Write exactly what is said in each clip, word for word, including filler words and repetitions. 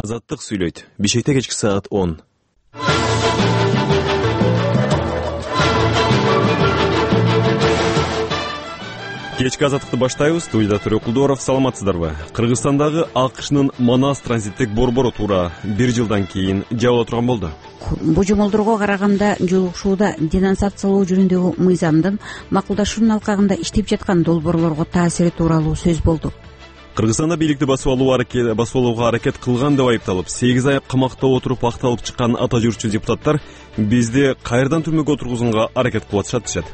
Азаттык сүйлөйт. Бишкекте кечки саат он. Кечки азаттыкты баштайбыз. Студияда Төрөк Кулдуаров. Саламатсыздарбы? Кыргызстандагы АКШнын Манас транзиттик борбору туура бир жылдан кийин жабыла турган болду. Божомолдорго караганда жолугушууда денонсациялоо жөнүндөгү мыйзамдын макулдашуунун алкагында иштеп жаткан долбоорлорго таасири тууралуу сөз болду. Кыргызстанда бийликти басып алуу аракет басып алууга аракет кылган деп айыпталып, сегиз ай камакта отуруп акталып чыккан ата журтчу депутаттар бизди кайрадан түрмөгө отургузууга аракет кылып атышат дешет.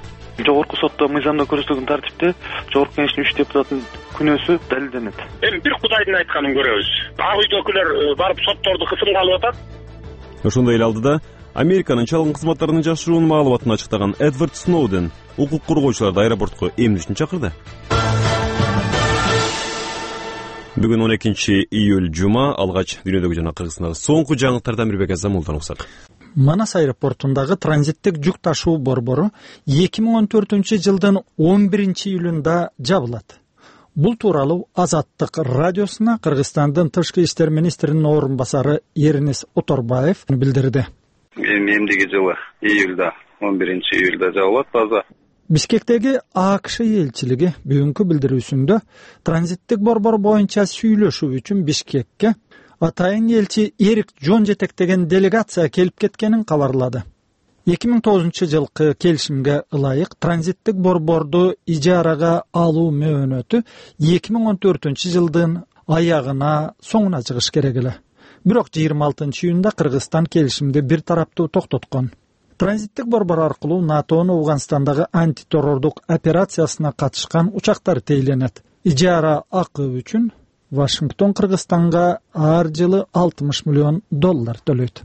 Жогорку сотто мыйзамда көрсөтүлгөн тартипте Жогорку Кеңештин үч депутатынын күнөөсү далилденет. Эми бир Кудайдын айтканын көрөбүз. Ак үйдөгүлөр барып сотторду кысымга алып атат. Ошондой эле алдыда Американын чалгын кызматтарынын жашыруун маалыматын ачыктаган Эдвард Сноуден укук коргоочуларды аэропортко эмне үчүн чакырды? Бүгүн он экинчи июль жума, алгач дүйнөдөгү жана Кыргызстандагы соңку жаңылыктардан Мирбек Азамулдан уксак. Манас аэропортундагы транзиттик жүк ташуу борбору эки миң он төртүнчү жылдын он биринчи июлунда жабылат. Бул тууралуу Азаттык радиосуна Кыргызстандын тышкы иштер министринин орун басары Эрнес Оторбаев билдирди. Эмдиги жылы июлда, он биринчи июлда жабылат база. Бишкектеги АКШ элчилиги бүгүнкү билдирүүсүндө транзиттик борбор боюнча сүйлөшүү үчүн Бишкекке атайын элчи Эрик Жон жетектеген делегация келип кеткенин кабарлады. эки миң тогузунчу жылкы келишимге ылайык транзиттик борборду ижарага алуу мөөнөтү эки миң он төртүнчү жылдын аягына соңуна чыгыш керек эле. Бирок жыйырма алтынчы июнда Кыргызстан келишимди бир тараптуу токтоткон. Транзиттик борбор аркылуу НАТОнун Афганстандагы антитеррордук операциясына катышкан учактар тейленет. Ижара акы үчүн Вашингтон Кыргызстанга ар жылы алтымыш миллион доллар төлөйт.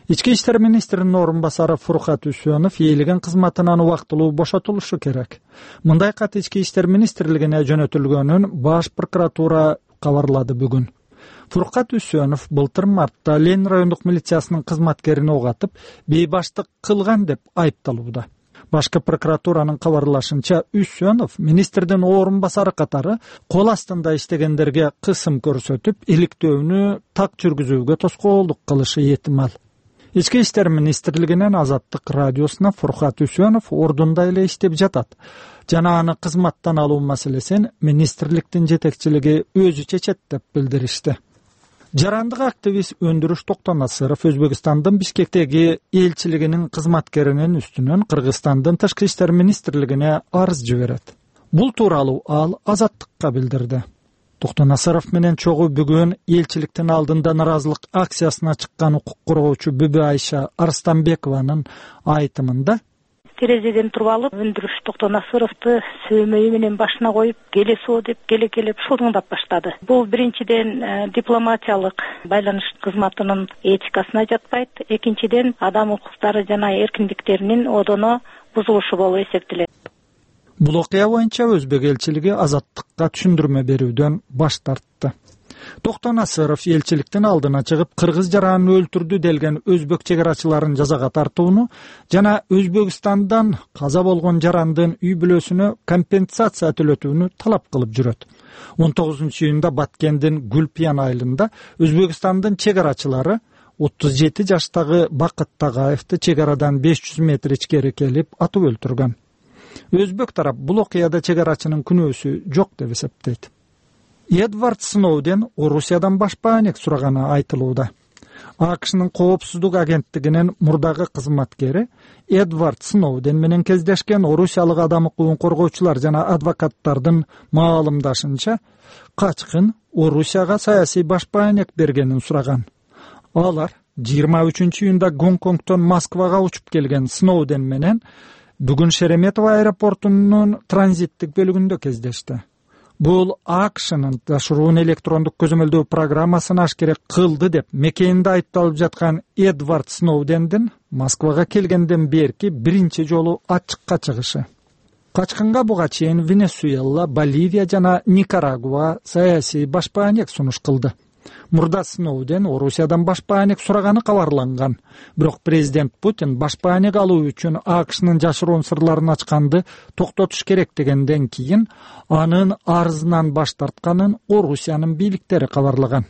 Ички иштер министринин орун басары Фуркат Үсөнов ээлеген кызматынан убактылуу бошотулушу керек. Мындай кат ички иштер министрлигине жөнөтүлгөнүн баш прокуратура кабарлады бүгүн. Фуркат Үсөнов былтыр мартта Ленин райондук милициясынын кызматкерин огатып, бейбаштык кылган деп айыпталууда. Башкы прокуратуранын кабарлашынча, Үсөнов министрдин орун басары катары кол астында иштегендерге кысым көрсөтүп, иликтөөнү так жүргүзүүгө тоскоолдук кылышы этимал. Ички иштер министрлигинен Азаттык радиосуна Фуркат Үсөнов ордунда эле иштеп жатат жана аны кызматтан алуу маселесин министрликтин жетекчилиги өзү чечет деп билдиришти. Жарандык активист Өндүрүш Токтонасыров Өзбекстандын Бишкектеги элчилигинин кызматкеринин үстүнөн Кыргызстандын тышкы иштер министрлигине арыз жиберет. Бул тууралуу ал Азаттыкка билдирди. Токтонасыров менен чогуу бүгүн элчиликтин алдында наразылык акциясына чыккан укук коргоочу Бүбү Айша Арстанбекованын айтымында терезеден туруп алып, Өндүрүш Токтонасыровду сөөмөйү менен башына коюп, келесоо деп келе-келеп шылдыңдап баштады. Бул биринчиден дипломатиялык байланыш кызматынын этикасына жатпайт, экинчиден адам укуктары жана эркиндиктеринин одоно бузулушу болуп эсептелет. Бул окуя боюнча Өзбек элчилиги Азаттыкка түшүндүрмө берүүдөн баш тартты. Токтонасыров элчиликтин алдына чыгып, кыргыз жаранын өлтүрдү делген өзбек чегарачыларын жазага тартууну жана Өзбекстандан каза болгон жарандын үй бүлөсүнө компенсация төлөтүүнү талап кылып жүрөт. он тогузунчу июнда Баткендин Гүлпиян айылында Өзбекстандын чегарачылары отуз жети жаштагы Бакыт Тагаевди чегарадан беш жүз метр ичкери келип атып өлтүргөн. Өзбек тарап бул окуяда чегарачынын күнөөсү жок деп эсептейт. Эдвард Сноуден Орусиядан башпаанек сураганы айтылууда. АКШнын коопсуздук агенттигинин мурдагы кызматкери Эдвард Сноуден менен кездешкен орусиялык адам укугун коргоочулар жана адвокаттардын маалымдашынча, качкын Орусияга саясий башпаанек бергенин сураган. Алар жыйырма үчүнчү июнда Гонконгтон Москвага учуп келген Сноуден менен бүгүн Шереметово аэропортунун транзиттик бөлүгүндө кездешти. Бул АКШнын ташыруун электрондук көзөмөлдөө программасын ашкере кылды деп мекенинде айыпталып жаткан Эдвард Сноудендин Москвага келгенден берки биринчи жолу ачыкка чыгышы. Качкынга буга чейин Венесуэла, Боливия жана Никарагуа саясий башпаанек сунуш кылды. Мурда Сноуден Орусиядан башпаанек сураганы кабарланган. Бирок президент Путин башпаанек алуу үчүн АКШнын жашыруун сырларын ачканды токтотуш керек дегенден кийин анын арызынан баш тартканын Орусиянын бийликтери кабарлаган.